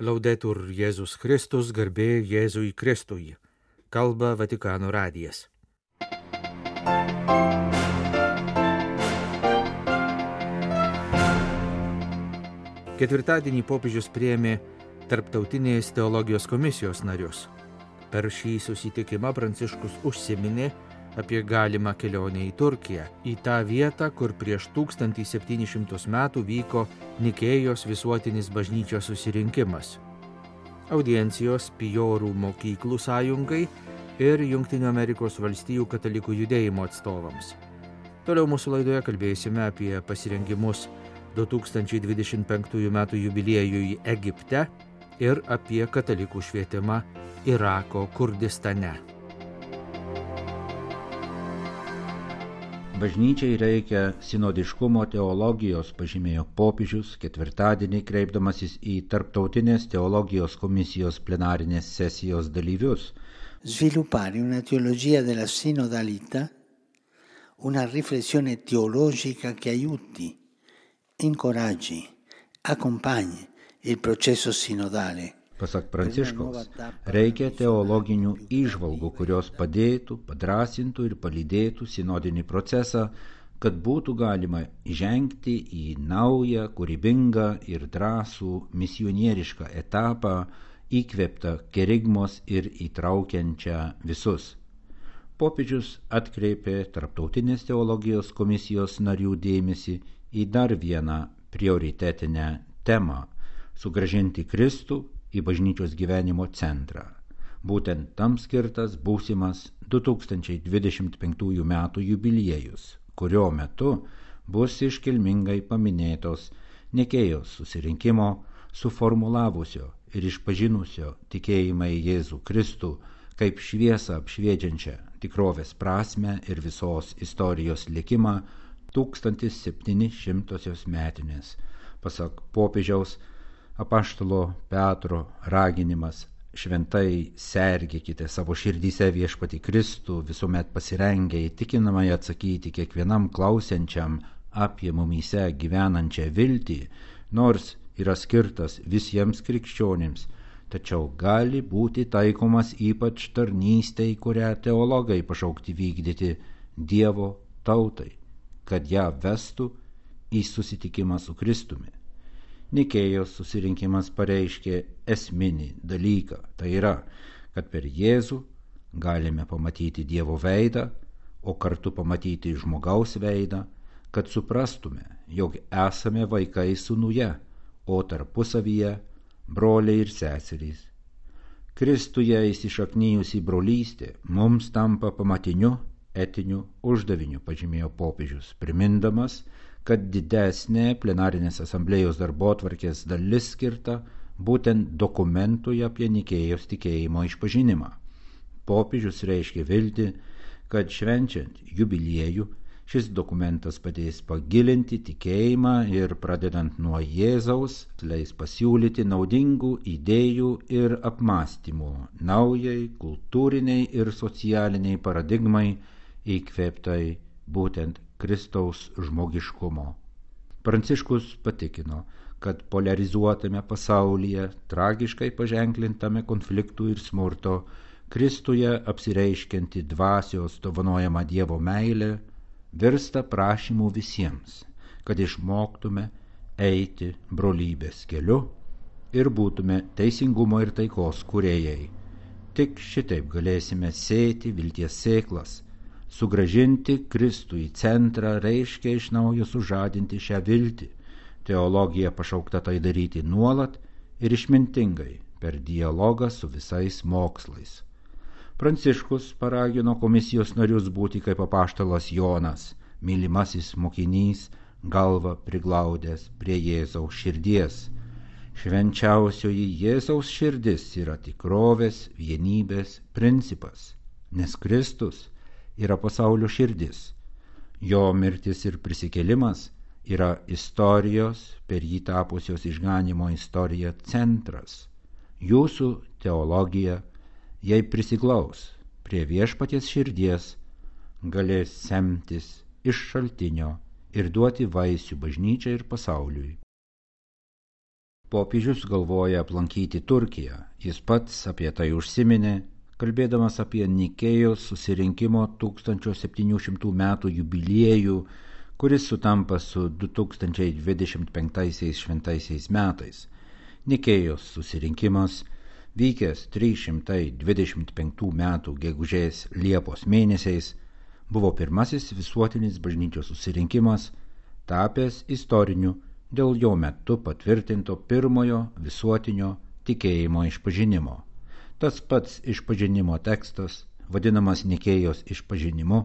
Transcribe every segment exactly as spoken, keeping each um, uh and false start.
Laudetur Jėzus Kristus, garbė Jėzui Kristui. Kalba Vatikano radijas. Ketvirtadienį popiežius priėmė Tarptautinės teologijos komisijos narius. Per šį susitikimą Pranciškus užsiminė apie galimą kelionę į Turkiją, į tą vietą, kur prieš tūkstantį septynis šimtus metų vyko Nikėjos visuotinis bažnyčios susirinkimas. Audiencijos Pijorų mokyklų sąjungai ir Jungtinių Amerikos valstijų katalikų judėjimo atstovams. Toliau mūsų laidoje kalbėsime apie pasirengimus du tūkstančiai dvidešimt penktųjų metų jubiliejui Egipte ir apie katalikų švietimą Irako Kurdistane. Bažnyčiai reikia sinodiškumo teologijos, pažymėjo popiežius ketvirtadienį kreipdamasis į Tarptautinės teologijos komisijos plenarinės sesijos dalyvius. Sviluppare una teologia della sinodalità, una riflessione teologica che aiuti, incoraggi, accompagni il processo sinodale. Pasak Pranciškaus, reikia teologinių įžvalgų, kurios padėtų, padrasintų ir palydėtų sinodinį procesą, kad būtų galima įžengti į naują, kūrybingą ir drąsų misionierišką etapą, įkvėptą kerigmos ir įtraukiančią visus. Popiežius atkreipė Tarptautinės teologijos komisijos narių dėmesį į dar vieną prioritetinę temą – sugrąžinti Kristų į bažnyčios gyvenimo centrą. Būtent tam skirtas būsimas du tūkstančiai dvidešimt penktųjų metų jubiliejus, kurio metu bus iškilmingai paminėtos Nikėjos susirinkimo suformulavusio ir išpažinusio tikėjimą į Jėzų Kristų kaip šviesą apšviečiančią tikrovės prasmę ir visos istorijos likimą tūkstantis septyni šimtosios metinės. Pasak popiežiaus, apaštalo Petro raginimas šventai sergėkite savo širdyse viešpatį Kristų, visuomet pasirengę įtikinamai atsakyti kiekvienam klausiančiam apie mumyse gyvenančią viltį, nors yra skirtas visiems krikščionims, tačiau gali būti taikomas ypač tarnystei, kurią teologai pašaukti vykdyti Dievo tautai, kad ją vestų į susitikimą su Kristumi. Nikėjos susirinkimas pareiškė esminį dalyką, tai yra, kad per Jėzų galime pamatyti Dievo veidą, o kartu pamatyti žmogaus veidą, kad suprastume, jog esame vaikai sūnuje, o tarpusavyje broliai ir seserys. Kristuje įsišaknijusi brolystė mums tampa pamatiniu etiniu uždaviniu, pažymėjo popiežius, primindamas, kad didesnė plenarinės asamblėjos darbotvarkės dalis skirta būtent dokumentui apie Nikėjos tikėjimo išpažinimą. Popiežius reiškė viltį, kad švenčiant jubiliejų šis dokumentas padės pagilinti tikėjimą ir pradedant nuo Jėzaus leis pasiūlyti naudingų idėjų ir apmąstymų naujai kultūriniai ir socialiniai paradigmai įkvėptai būtent Kristaus žmogiškumo. Pranciškus patikino, kad polarizuotame pasaulyje, tragiškai paženklintame konfliktų ir smurto, Kristuje apsireiškianti dvasios dovanojama Dievo meilė virsta prašymu visiems, kad išmoktume eiti brolybės keliu ir būtume teisingumo ir taikos kūrėjai. Tik šitaip galėsime sėti vilties sėklas. Sugrąžinti Kristų į centrą reiškia iš naujo sužadinti šią viltį. Teologija pašaukta tai daryti nuolat ir išmintingai per dialogą su visais mokslais. Pranciškus paragino komisijos narius būti kaip apaštalas Jonas, mylimasis mokinys, galvą priglaudęs prie Jėzaus širdies. Švenčiausioji Jėzaus širdis yra tikrovės, vienybės principas, nes Kristus yra pasaulio širdis. Jo mirtis ir prisikėlimas yra istorijos, per jį tapusios išganymo istorija centras. Jūsų teologija, jei prisiglaus prie viešpaties širdies, galės semtis iš šaltinio ir duoti vaisių bažnyčiai ir pasauliui. Popiežius galvoja aplankyti Turkiją. Jis pats apie tai užsiminė, kalbėdamas apie Nikėjos susirinkimo tūkstančio septynių šimtų metų jubiliejų, kuris sutampa su du tūkstančiai dvidešimt penktaisiais šventaisiais metais. Nikėjos susirinkimas, vykęs trys šimtai dvidešimt penktų metų gegužės Liepos mėnesiais, buvo pirmasis visuotinis bažnyčios susirinkimas, tapęs istoriniu dėl jo metu patvirtinto pirmojo visuotinio tikėjimo išpažinimo. Tas pats išpažinimo tekstas, vadinamas Nikėjos išpažinimu,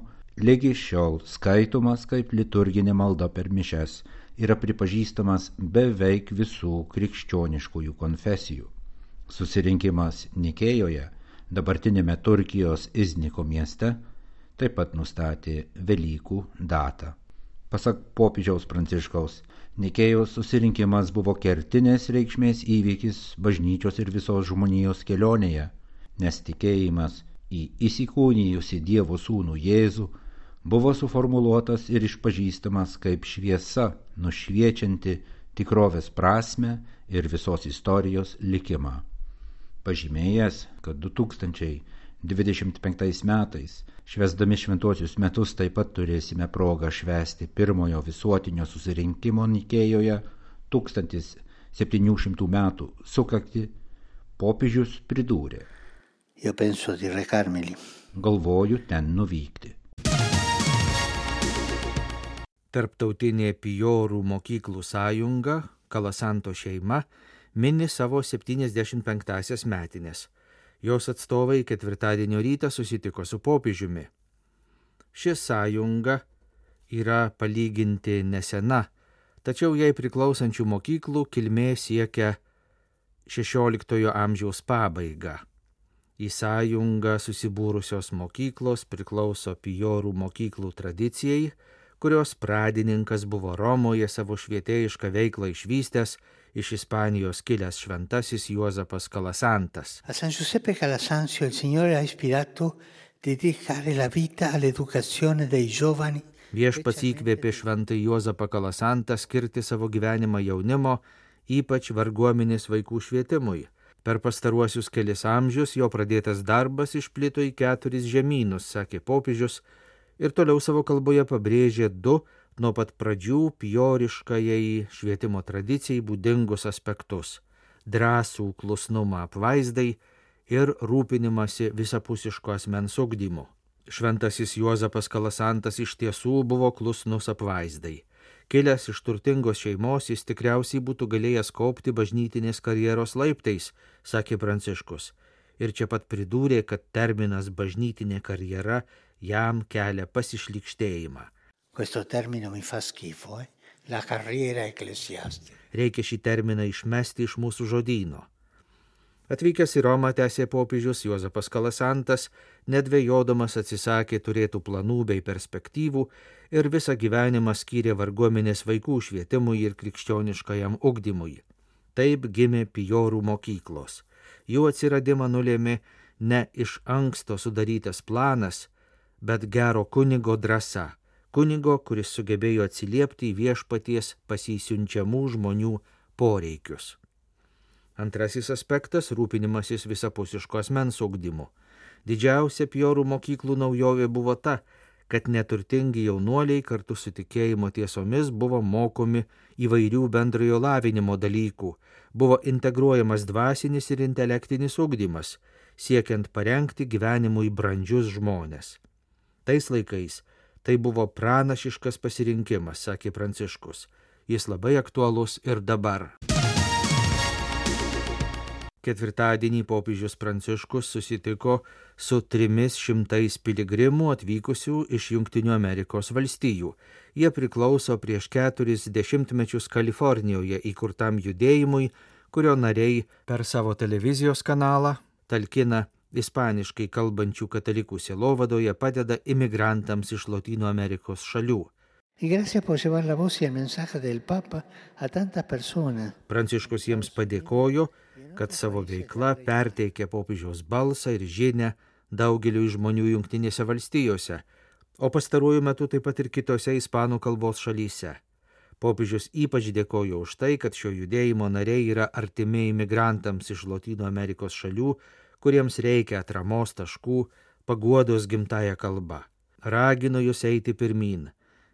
lygi šiol skaitomas kaip liturginė malda per mišias, yra pripažįstamas beveik visų krikščioniškųjų konfesijų. Susirinkimas Nikėjoje, dabartinėme Turkijos Izniko mieste, taip pat nustatė Velykų datą. Pasak popiežiaus Pranciškaus, Nikėjos susirinkimas buvo kertinės reikšmės įvykis bažnyčios ir visos žmonijos kelionėje, nes tikėjimas į įsikūnijusį Dievo sūnų Jėzų buvo suformuluotas ir išpažįstamas kaip šviesa, nušviečianti tikrovės prasmę ir visos istorijos likimą. Pažymėjęs, kad du tūkstančiai dvidešimt penktais metais, švęsdami šventuosius metus, taip pat turėsime progą švęsti pirmojo visuotinio susirinkimo Nikėjoje tūkstantis septynių šimtų metų sukaktį, popiežius pridūrė: Io penso di recarmeli. Galvoju ten nuvykti. Tarptautinė Pijorų mokyklų sąjunga, Kalasanto šeima, mini savo septyniasdešimt penktąsias metinės. Jos atstovai ketvirtadienio rytą susitiko su popiežiumi. Ši sąjunga yra palyginti nesena, tačiau jai priklausančių mokyklų kilmė siekia šešioliktojo amžiaus pabaigą. Į sąjungą susibūrusios mokyklos priklauso Pijorų mokyklų tradicijai, kurios pradininkas buvo Romoje savo švietėjišką veiklą išvystęs iš Ispanijos kilęs šventasis Juozapas Kalasantas. A San Giuseppe Calasanzio il Signore ha ispirato dedicare la vita all'educazione dei giovani. Viešpats įkvėpė šventąjį Juozapą Kalasantą skirti savo gyvenimą jaunimo, ypač varguomenės vaikų švietimui. Per pastaruosius kelis amžius jo pradėtas darbas išplito į keturis žemynus, sakė popiežius, ir toliau savo kalboje pabrėžė du nuo pat pradžių pijoriškajai švietimo tradicijai būdingus aspektus – drąsų klusnumą apvaizdai ir rūpinimąsi visapusiško asmens ugdymu. Šventasis Juozapas Kalasantas iš tiesų buvo klusnus apvaizdai. Kilęs iš turtingos šeimos, jis tikriausiai būtų galėjęs kaupti bažnytinės karjeros laiptais, sakė Pranciškus. Ir čia pat pridūrė, kad terminas bažnytinė karjera jam kelia pasišlykštėjimą. Questo termine mi fa schifo, eh? La carriera ecclesiastica. Reikia šį terminą išmesti iš mūsų žodyno. Atvykęs į Romą, tęsė popiežius, Juozapas Kalasantas, nedvejodamas atsisakė turėtų planų bei perspektyvų ir visą gyvenimą skyrė varguomenės vaikų švietimui ir krikščioniškajam ugdymui. Taip gimė Pijorų mokyklos. Jų atsiradimą nulėmė ne iš anksto sudarytas planas, bet gero kunigo drąsa. Kunigo, kuris sugebėjo atsiliepti į viešpaties pasisiunčiamų žmonių poreikius. Antrasis aspektas – rūpinimasis visapusiško asmens ugdymu. Didžiausia Pijorų mokyklų naujovė buvo ta, kad neturtingi jaunuoliai kartu su tikėjimo tiesomis buvo mokomi įvairių bendrojo lavinimo dalykų, buvo integruojamas dvasinis ir intelektinis ugdymas, siekiant parengti gyvenimui brandžius žmones. Tais laikais tai buvo pranašiškas pasirinkimas, sakė Pranciškus. Jis labai aktualus ir dabar. Ketvirtadienį popiežius Pranciškus susitiko su trimis šimtais piligrimų atvykusių iš Jungtinių Amerikos valstijų. Jie priklauso prieš keturis dešimtmečius Kalifornijoje įkurtam judėjimui, kurio nariai per savo televizijos kanalą talkina ispaniškai kalbančių katalikų sielovadoje, padeda imigrantams iš Lotynų Amerikos šalių. Pranciškus jiems padėkojo, kad savo veikla perteikė popiežiaus balsą ir žinią daugeliu žmonių Jungtinėse valstijose, o pastaruoju metu taip pat ir kitose ispanų kalbos šalyse. Popiežius ypač dėkojo už tai, kad šio judėjimo nariai yra artimi imigrantams iš Lotynų Amerikos šalių, kuriems reikia atramos taškų, paguodos gimtąją kalbą. Ragino jūs eiti pirmyn,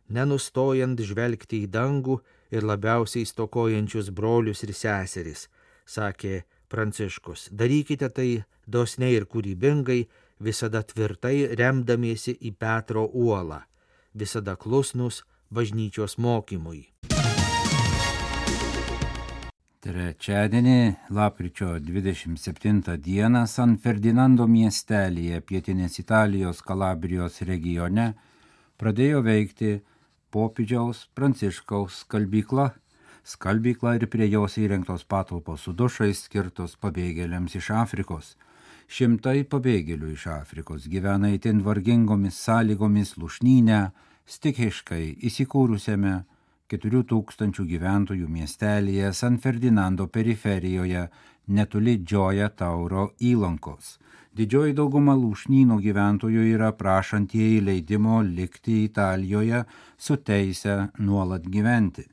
nenustojant žvelgti į dangų ir labiausiai stokojančius brolius ir seseris, sakė Pranciškus. Darykite tai dosniai ir kūrybingai, visada tvirtai remdamiesi į Petro uolą, visada klusnus bažnyčios mokymui. Trečiadienį, lapkričio dvidešimt septintą dieną, San Ferdinando miestelyje pietinės Italijos Kalabrijos regione pradėjo veikti popiežiaus Pranciškaus skalbykla. Skalbykla ir prie jos įrengtos patalpos su dušais skirtos pabėgėliams iš Afrikos. Šimtai pabėgėlių iš Afrikos gyvena itin vargingomis sąlygomis Lušnyne, stichiškai įsikūrusiame keturių tūkstančių gyventojų miestelyje San Ferdinando periferijoje netoli Džioja Tauro įlankos. Didžioji dauguma Lušnyno gyventojų yra prašantieji leidimo likti Italijoje su teise nuolat gyventi.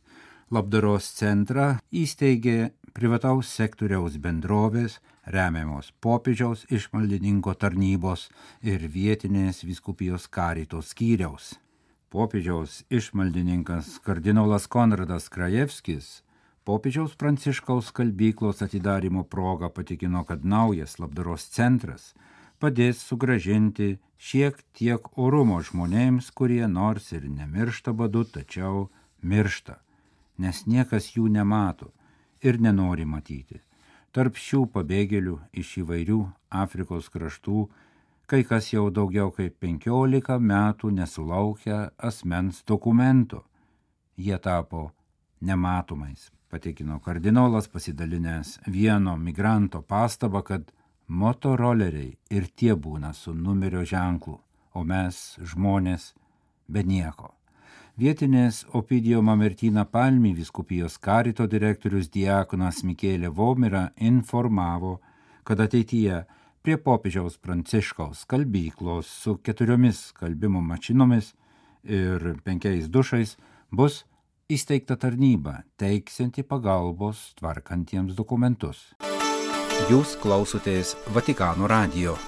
Labdaros centrą įsteigė privataus sektoriaus bendrovės, remiamos popiežiaus išmaldininko tarnybos ir vietinės vyskupijos Karito skyriaus. Popiežiaus išmaldininkas kardinolas Konradas Krajevskis popiežiaus Pranciškaus skalbyklos atidarymo proga patikino, kad naujas labdaros centras padės sugrąžinti šiek tiek orumo žmonėms, kurie nors ir nemiršta badu, tačiau miršta, nes niekas jų nemato ir nenori matyti. Tarp šių pabėgėlių iš įvairių Afrikos kraštų kai kas jau daugiau kaip penkiolika metų nesulaukia asmens dokumento. Jie tapo nematomais, patikino kardinolas, pasidalinęs vieno migranto pastabą, kad motoroleriai ir tie būna su numerio ženklu, o mes, žmonės, be nieko. Vietinės Opidio Mamertina Palmi vyskupijos Karito direktorius diakonas Mikėlė Vomira informavo, kad ateityje prie popiežiaus Pranciškaus skalbyklos su keturiomis skalbimo mašinomis ir penkiais dušais bus įsteigta tarnyba, teiksianti pagalbos tvarkantiems dokumentus. Jūs klausotės Vatikano radijo.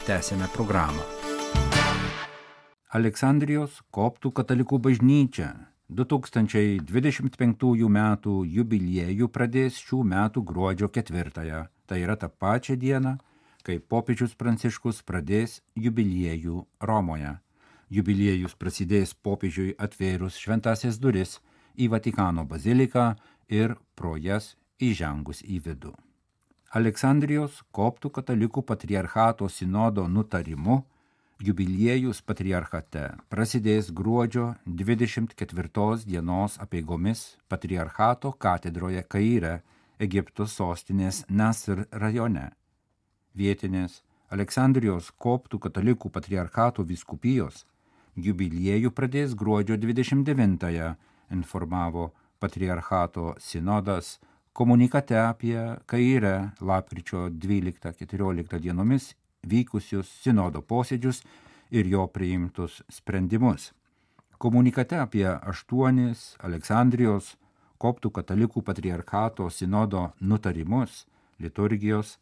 Tęsėme programą. Aleksandrijos koptų katalikų bažnyčia du tūkstančiai dvidešimt penktųjų metų jubiliejų pradės šių metų gruodžio ketvirtąją. Tai yra tą pačią dieną, kai popiežius Pranciškus pradės jubiliejų Romoje. Jubiliejus prasidės popiežiui atvėrus šventąsias duris į Vatikano baziliką ir pro jas įžengus į vidų. Aleksandrijos koptų katalikų patriarchato sinodo nutarimu jubiliejus patriarchate prasidės gruodžio dvidešimt ketvirtos dienos apeigomis patriarchato katedroje Kaire, Egipto sostinės Nasr rajone. Vietinės Aleksandrijos koptų katalikų patriarchato vyskupijos jubiliejų pradės gruodžio dvidešimt devintąją, informavo patriarchato sinodas komunikate apie Kaire lapkričio dvyliktą keturioliktą dienomis vykusius sinodo posėdžius ir jo priimtus sprendimus. Komunikate apie aštuonis Aleksandrijos koptų katalikų patriarchato sinodo nutarimus, liturgijos,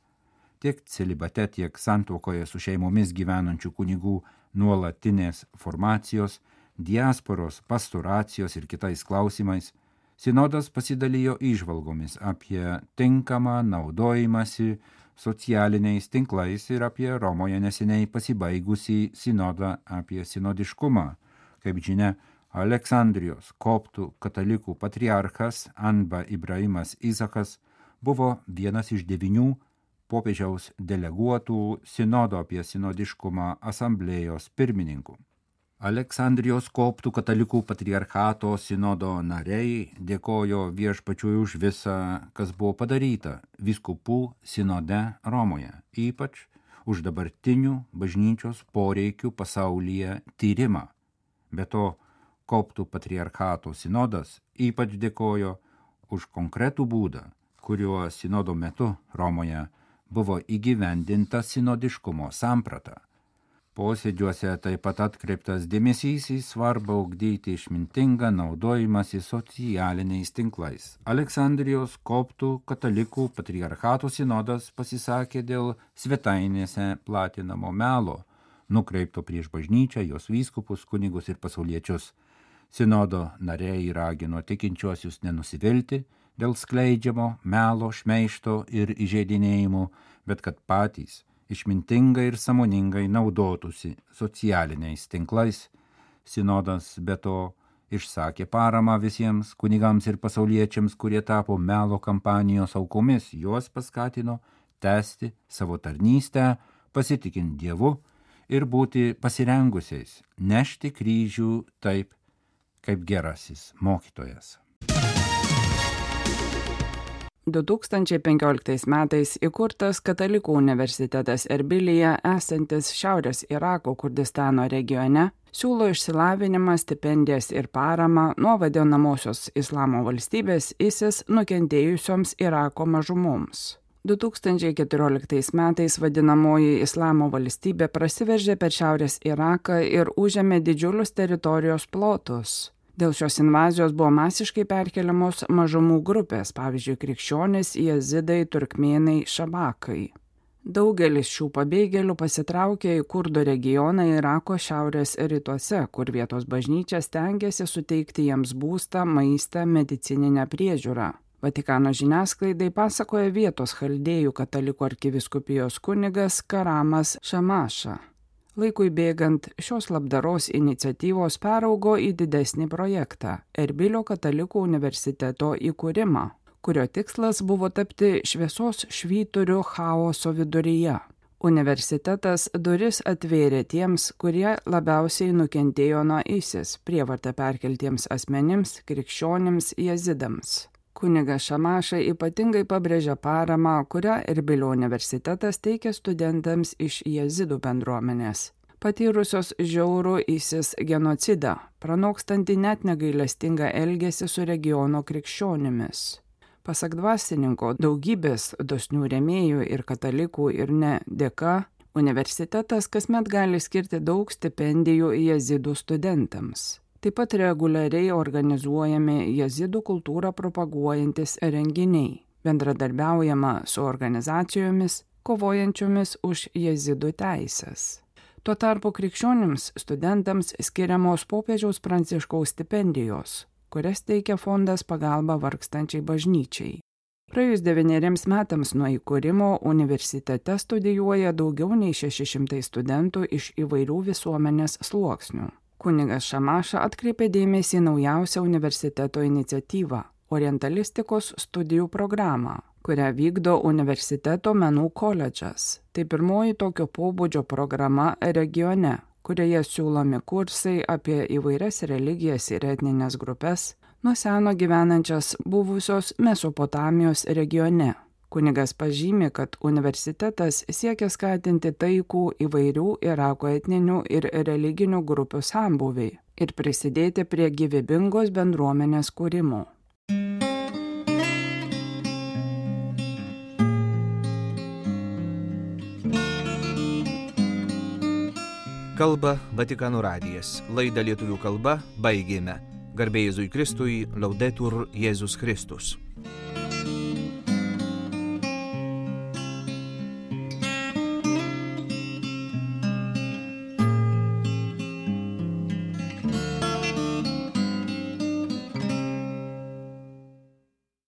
tiek celibate, tiek santuokoje su šeimomis gyvenančių kunigų nuolatinės formacijos, diasporos, pastoracijos ir kitais klausimais, sinodas pasidalijo įžvalgomis apie tinkamą naudojimąsi socialiniais tinklais ir apie Romoje neseniai pasibaigusį sinodą apie sinodiškumą. Kaip žinia, Aleksandrijos koptų katalikų patriarchas Anba Ibrahimas Izakas buvo vienas iš devynių popiežiaus deleguotų sinodo apie sinodiškumą asamblėjos pirmininkų. Aleksandrijos koptų katalikų patriarchato sinodo nariai dėkojo viešpačiui už visą, kas buvo padaryta vyskupų sinode Romoje, ypač už dabartinių bažnyčios poreikių pasaulyje tyrimą. Be to, koptų patriarchato sinodas ypač dėkojo už konkretų būdą, kuriuo sinodo metu Romoje buvo įgyvendinta sinodiškumo samprata. Posėdžiuose taip pat atkreiptas dėmesys į svarbą ugdyti išmintingą naudojimąsi socialiniais tinklais. Aleksandrijos koptų katalikų patriarchato sinodas pasisakė dėl svetainėse platinamo melo, nukreipto prieš bažnyčią, jos vyskupus, kunigus ir pasauliečius. Sinodo nariai ragino tikinčiuosius nenusivilti dėl skleidžiamo melo, šmeižto ir įžeidinėjimų, bet kad patys išmintingai ir sąmoningai naudotųsi socialiniais tinklais. Sinodas be to išsakė paramą visiems kunigams ir pasauliečiams, kurie tapo melo kampanijos aukomis. Juos paskatino tęsti savo tarnystę, pasitikint Dievu ir būti pasirengusiais nešti kryžių taip, kaip gerasis mokytojas. du tūkstančiai penkioliktais metais įkurtas Katalikų universitetas Erbilyje, esantis Šiaurės Irako Kurdistano regione, siūlo išsilavinimą, stipendijas ir paramą nuo vadinamosios Islamo valstybės ISIS nukentėjusioms Irako mažumoms. du tūkstančiai keturioliktais metais vadinamoji Islamo valstybė prasiveržė per Šiaurės Iraką ir užėmė didžiulius teritorijos plotus. Dėl šios invazijos buvo masiškai perkeliamos mažumų grupės, pavyzdžiui, krikščionys, jezidai, turkmėnai, šabakai. Daugelis šių pabėgėlių pasitraukė į Kurdų regioną Irako šiaurės rytuose, kur vietos bažnyčia stengiasi suteikti jiems būstą, maistą, medicininę priežiūrą. Vatikano žiniasklaidai pasakoja vietos chaldėjų katalikų arkivyskupijos kunigas Karamas Šamaša. Laikui bėgant, šios labdaros iniciatyvos peraugo į didesnį projektą – Erbilio katalikų universiteto įkūrimą, kurio tikslas buvo tapti šviesos švyturiu chaoso viduryje. Universitetas duris atvėrė tiems, kurie labiausiai nukentėjo nuo ISIS, prievartą perkeltiems asmenims, krikščionims, jezidams. Kunigas Šamaša ypatingai pabrėžia paramą, kurią Erbilio universitetas teikia studentams iš jezidų bendruomenės, patyrusios žiaurų ISIS genocidą, pranokstantį net negailestingą elgesį su regiono krikščionimis. Pasak dvasininko, daugybės dosnių rėmėjų ir katalikų ir ne dėka, universitetas kasmet gali skirti daug stipendijų jezidų studentams. Taip pat reguliariai organizuojami jezidų kultūrą propaguojantis renginiai, bendradarbiaujama su organizacijomis, kovojančiomis už jezidų teisės. Tuo tarpu krikščionims studentams skiriamos popiežiaus Pranciškaus stipendijos, kurias teikia fondas pagalba vargstančiai bažnyčiai. Praėjus devyneriems metams nuo įkūrimo universitete studijuoja daugiau nei šeši šimtai studentų iš įvairių visuomenės sluoksnių. Kunigas Šamaša atkreipė dėmesį į naujausią universiteto iniciatyvą – orientalistikos studijų programą, kurią vykdo universiteto menų koledžas. Tai pirmoji tokio pobūdžio programa regione, kurioje siūlomi kursai apie įvairias religijas ir etninės grupės, nuo seno gyvenančias buvusios Mesopotamijos regione. Kunigas pažymi, kad universitetas siekia skatinti taikų įvairių Irako etninių ir religinių grupių sambūvį ir prisidėti prie gyvybingos bendruomenės kūrimo. Kalba Vatikano radijas. Laidą lietuvių kalba baigėme. Garbė Jėzui Kristui, Laudetur Jėzus Kristus.